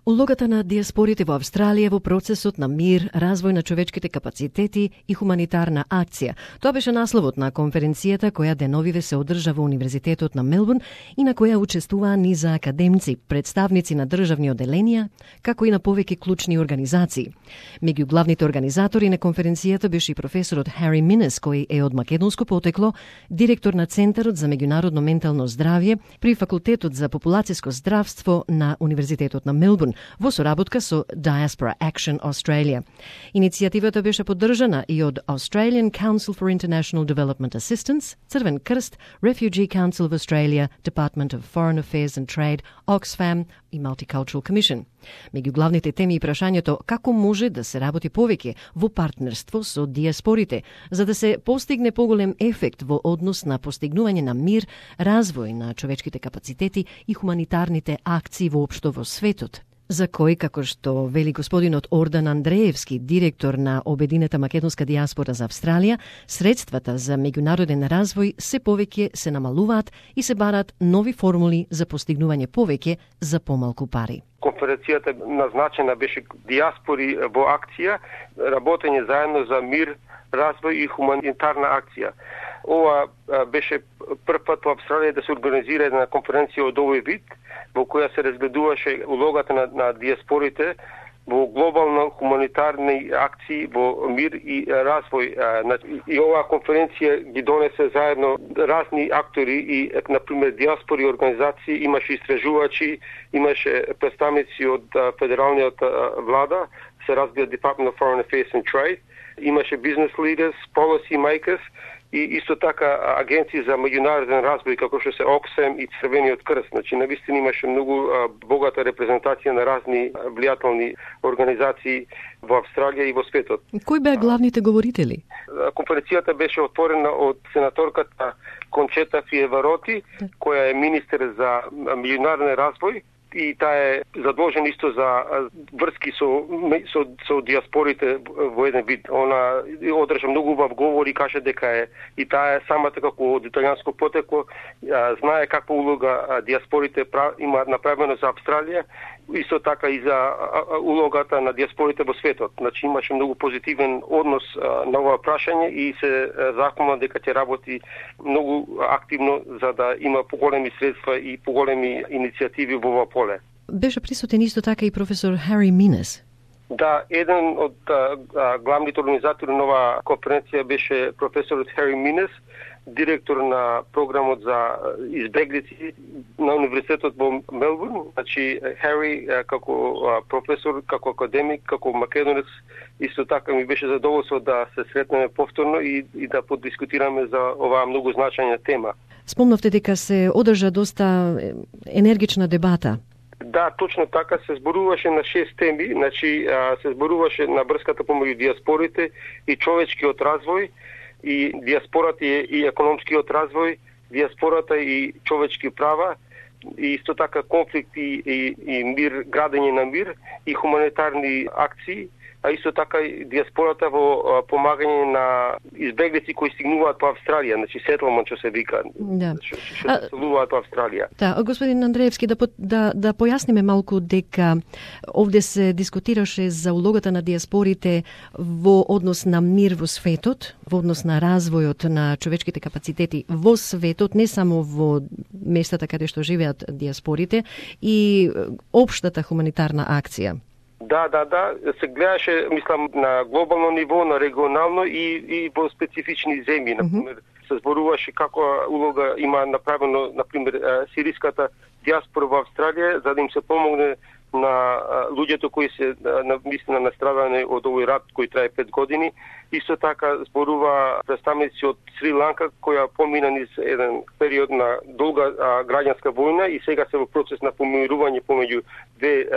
Улогата на диаспорите во Австралија во процесот на мир, развој на човечките капацитети и хуманитарна акција. Тоа беше насловот на конференцијата која деновиве се одржа во Универзитетот на Мелбурн и на која учествуваа низа академци, представници на државни оделенија, како и на повеќе клучни организации. Меѓу главните организатори на конференцијата беше и професорот Хари Минес, кој е од македонско потекло, директор на Центарот за меѓународно ментално здравје при Факултетот за популацијско здравство на Универзитетот на Мелбурн, во соработка со Diaspora Action Australia. Иницијативата беше поддржана и од Australian Council for International Development Assistance, Црвен крст, Refugee Council of Australia, Department of Foreign Affairs and Trade, Oxfam и Multicultural Commission. Меѓу главните теми и прашањето како може да се работи повеќе во партнерство со диаспорите, за да се постигне поголем ефект во однос на постигнување на мир, развој на човечките капацитети и хуманитарните акции воопшто во светот, за кој, како што вели господинот Ордан Андреевски, директор на Обединета македонска диаспора за Австралија, средствата за меѓународен развој се повеќе се намалуваат и се барат нови формули за постигнување повеќе за помалку пари. Конференцијата назначена беше диаспори во акција, работење заедно за мир, развој и хуманитарна акција. Ова беше прв пат во Австралија да се организира една конференција од овој вид, во која се разгледуваше улогата на диаспорите во глобално хуманитарни акции во мир и развој. И оваа конференција ги донесе заедно разни актори и, например, диаспори организации, имаше истражувачи, имаше представници од федералниот влада, се разгледа Department of Foreign Affairs and Trade, имаше business leaders, policy makers и исто така агенции за меѓународен развој како што се Oxfam и Црвениот крст. Значи навистина имаше многу богата репрезентација на разни влијателни организации во Австралија и во светот. Кои беа главните говорители? Конференцијата беше отворена од сенаторката Кончета Фиевароти, која е министер за меѓународен развој, и таа е задолжена исто за врски со диаспорите во еден вид. Она одржа многу убав говор и каже дека е и таа е самата како од италијанско потекло, знае каква улога диаспорите имаат направено за Австралија, исто така и за улогата на диаспорите во светот. Значи имаше многу позитивен однос на ова прашање и се заколна дека ќе работи многу активно за да има поголеми средства и поголеми иницијативи во ова поле. Беше присутен исто така и професор Хари Минес. Да, еден од главните организатори на оваа конференција беше професорот Хари Минес, директор на програмот за избеглици на Универзитетот во Мелбурн. Значи, Хари како професор, како академик, како македонец, исто така ми беше задоволство да се сретнеме повторно и да подискутираме за оваа многу значајна тема. Спомнавте дека се одржа доста енергична дебата. Да, точно така, се зборуваше на 6 теми, значи се зборуваше на врската помеѓу диаспорите и човечкиот развој, и диаспората и економскиот развој, диаспората и човечки права, и исто така конфликти и мир, градење на мир и хуманитарни акции, а исто така и диаспората во помагање на избеглици кои стигнуваат по Австралија, значи сетлмент што се вика, што се селуваат по Австралија. Да, господин Андреевски, да појасниме малку дека овде се дискутираше за улогата на диаспорите во однос на мир во светот, во однос на развојот на човечките капацитети во светот, не само во местата каде што живеат диаспорите, и општата хуманитарна акција. Да, се гледаше, мислам, на глобално ниво, на регионално и во специфични земји. Например, се зборуваше како улога има направено, например, сириската диаспора во Австралија, за да им се помогне на луѓето кои се наистина настрадани од овој рат кој трае 5 години. Исто така зборува представници од Сри Ланка, која помина низ еден период на долга граѓанска војна и сега се во процес на помирување помеѓу две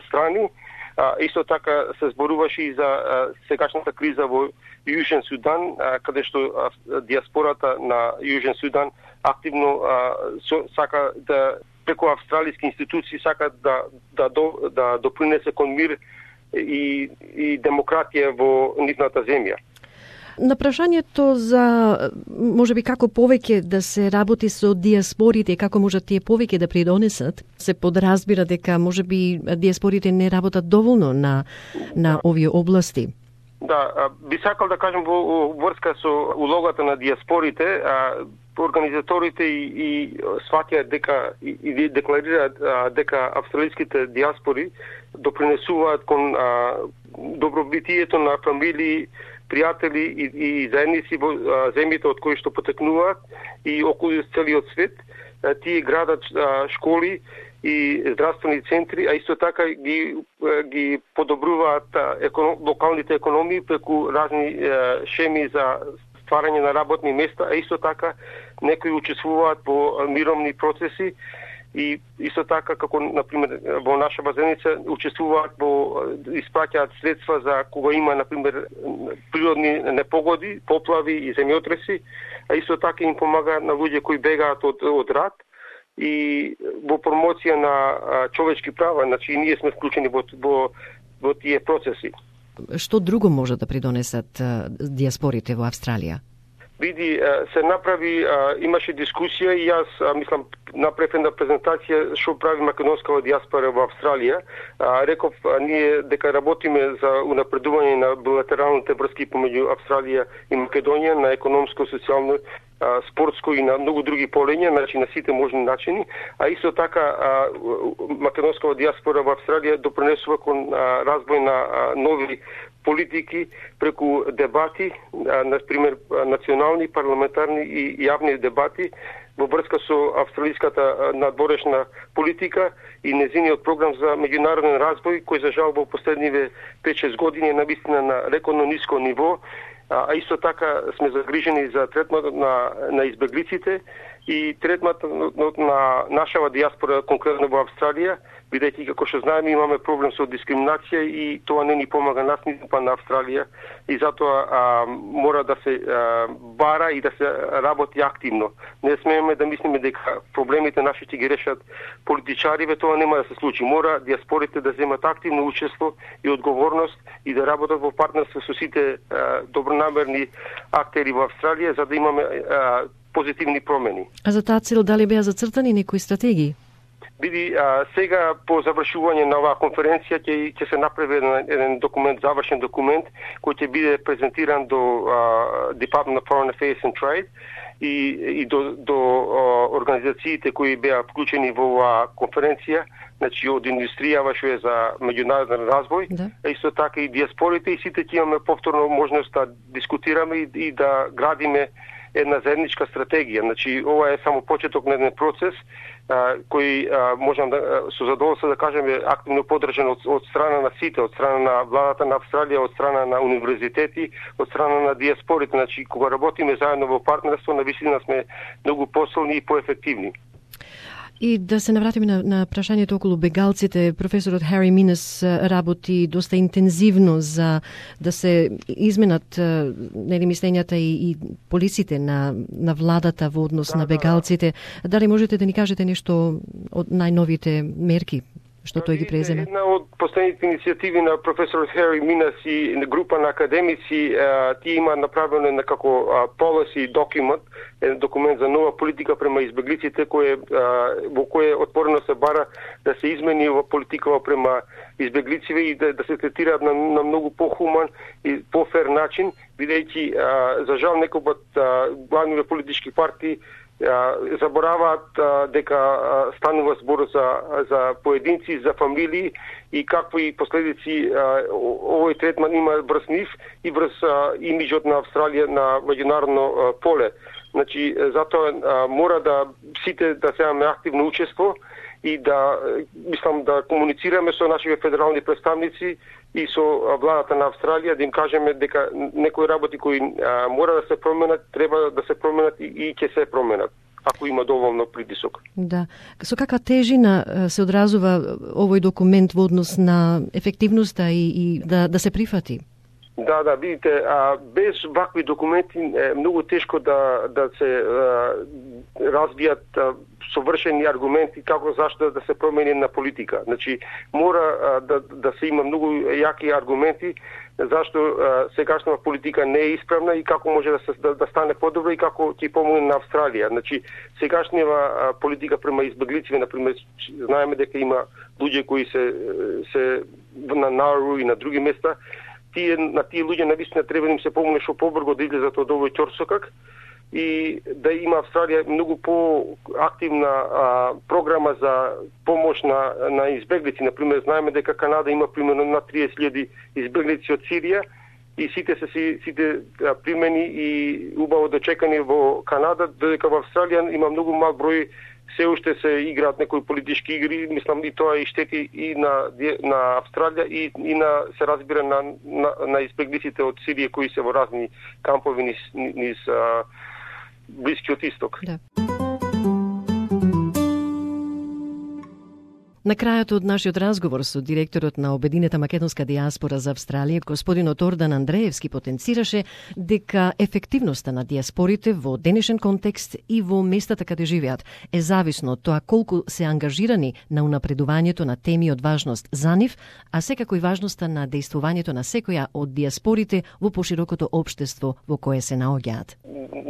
страни. Исто така се зборуваше и за сегашната криза во Јужен Судан, каде што диаспората на Јужен Судан активно сака да преку австралиски институции сака да допринесе кон мир и демократија во нивната земја. На прашањето за можеби како повеќе да се работи со диаспорите и како можат тие повеќе да придонесат, се подразбира дека можеби диаспорите не работат доволно на овие области. Да, би сакал да кажем во врска со улогата на диаспорите, организаторите и сваќаат дека и декларираат дека австралиските диаспори допринесуваат кон добробитието на фамилии, пријатели и заедници во земјите од кои што потекнуваат и околу целиот свет. Тие градат школи и здравствени центри, а исто така ги подобруваат локалните економии преку разни шеми за стварање на работни места, а исто така некои учествуваат во мировни процеси и исто така како например во наша базеница учествуваат во испраќаат средства за кога има например природни непогоди, поплави и земјотреси, а исто така им помагаат на луѓе кои бегаат од рат и во промоција на човечки права, значи ние сме вклучени во тие процеси. Што друго може да придонесат диаспорите во Австралија? Види, се направи, имаше дискусија и јас мислам направив една презентација што прави македонскава диаспора во Австралија. Реков ние дека работиме за унапредување на билатералните врски помеѓу Австралија и Македонија на економско, социјално, спортско и на многу други полења, значи на сите можни начини, а исто така македонскава диаспора во Австралија допринесува кон развој на нови политики преку дебати, например национални, парламентарни и јавни дебати во врска со австралиската надворешна политика и незиниот програм за меѓународен развој, кој за жал во последниве 5-6 години е навистина на рекордно ниско ниво, а исто така сме загрижени за третматот на избеглиците и третматот на нашава диаспора, конкретно во Австралија, бидејќи како што знаеме имаме проблем со дискриминација и тоа не ни помага нас ниту па на Австралија и затоа мора да се бара и да се работи активно. Не смееме да мислиме дека проблемите наши ќе ги решат политичариве, тоа нема да се случи. Мора диаспорите да земат активно учество и одговорност и да работат во партнерство со сите добронамерни актери во Австралија за да имаме позитивни промени. А за таа цел дали беа зацртани некои стратегии? Види, сега по завршување на оваа конференција ќе се направи еден документ, завршен документ, кој ќе биде презентиран до Department of Foreign Affairs and Trade и до организациите кои беа вклучени во оваа конференција, значи од индустријава што е за меѓународен развој, а исто така и диаспорите и сите ќе имаме повторно можност да дискутираме и да градиме една заедничка стратегија. Значи ова е само почеток на еден процес кој можам да со задоволство да кажеме активно поддржан од страна на сите, од страна на владата на Австралија, од страна на универзитети, од страна на диаспорите. Значи кога работиме заедно во партнерство, навистина сме многу посилни и поефективни. И да се навратиме на прашањето околу бегалците, професорот Хари Минес работи доста интензивно за да се изменат мислењата и полиците на владата во однос на бегалците. Дали можете да ни кажете нешто од најновите мерки што тој ги презема? Една од последните иницијативи на професорот Хари Минес и група на академици, тие има направено некако policy document, еден документ за нова политика према избеглиците, во кој отворено се бара да се измени ова политика према избеглиците и да се третираат на многу похуман и пофер начин, бидејќи за жал некој пат главните политички партии забораваат дека станува збор за поединци, за фамилии и какви последици овој третман има врз нив и врз имиџот на Австралија на меѓународно поле. Значи, затоа мора да сите да земаме активно учество и да мислам да комуницираме со нашите федерални представници и со владата на Австралија, да им кажеме дека некои работи кои мора да се променат, треба да се променат и ќе се променат, ако има доволно притисок. Да. Со каква тежина се одразува овој документ во однос на ефективноста и да се прифати? Да, видите, без вакви документи е многу тешко да се развијат совршени аргументи како зашто да се промени на политика. Значи мора да се има многу јаки аргументи зашто сегашната политика не е исправна и како може да стане подобро и како ќе помогне на Австралија. Значи сегашната политика према избеглици, например, знаеме дека има луѓе кои се на Науру и на други места, на тие луѓе навистина треба да им се помогне што побрзо да излезат од овој ќорсокак и да има Австралија многу по-активна програма за помош на избеглици. Например, знаеме дека Канада има примерно на 30.000 избеглици од Сирија и сите примени и убаво дочекани во Канада, додека во Австралија има многу мал број, се уште се играат некои политички игри, мислам и тоа и штети и на Австралија и се разбира на избеглиците од Сирија кои се во разни кампови низ Блискиот исток. Да. На крајот од нашиот разговор со директорот на Обединета македонска дијаспора за Австралија, господинот Ордан Андреевски, потенцираше дека ефективноста на дијаспорите во денешен контекст и во местата каде живеат е зависно од тоа колку се ангажирани на унапредувањето на теми од важност за нив, а секако и важноста на дејствувањето на секоја од дијаспорите во поширокото општество во кое се наоѓаат.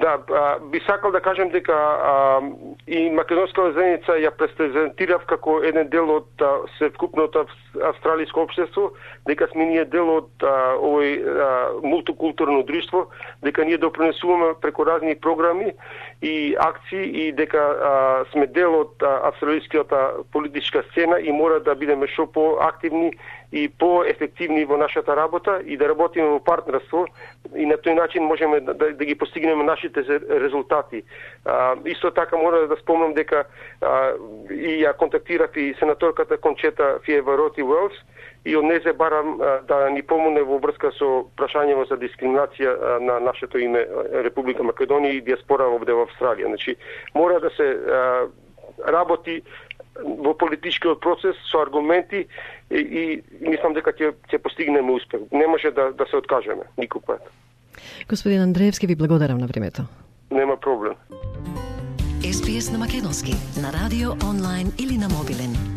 Да, би сакал да кажем дека и македонската заедница ја презентирав како еден дел од севкупното австралиско општество, дека сме ние дел од овој мултикултурно друштво, дека ние допринесуваме преку разни програми и акции и дека сме дел од австралиската политичка сцена и мора да бидеме што поактивни и поефективни во нашата работа и да работиме во партнерство и на тој начин можеме да ги постигнеме нашите резултати. Исто така мора да спомнам дека и ја контактирав и сенаторката Кончета Фиевароти Уелс и од незе барам да ни помогне во врска со прашањето за дискриминација на нашето име Република Македонија и дијаспора овде во Австралија. Значи мора да се работи во политичкиот процес со аргументи и мислам дека ќе постигнеме успех. Не може да се откажеме никој пат. Господин Андреевски, ви благодарам на времето. Нема проблем. SPS на македонски, на радио, онлайн или на мобилен.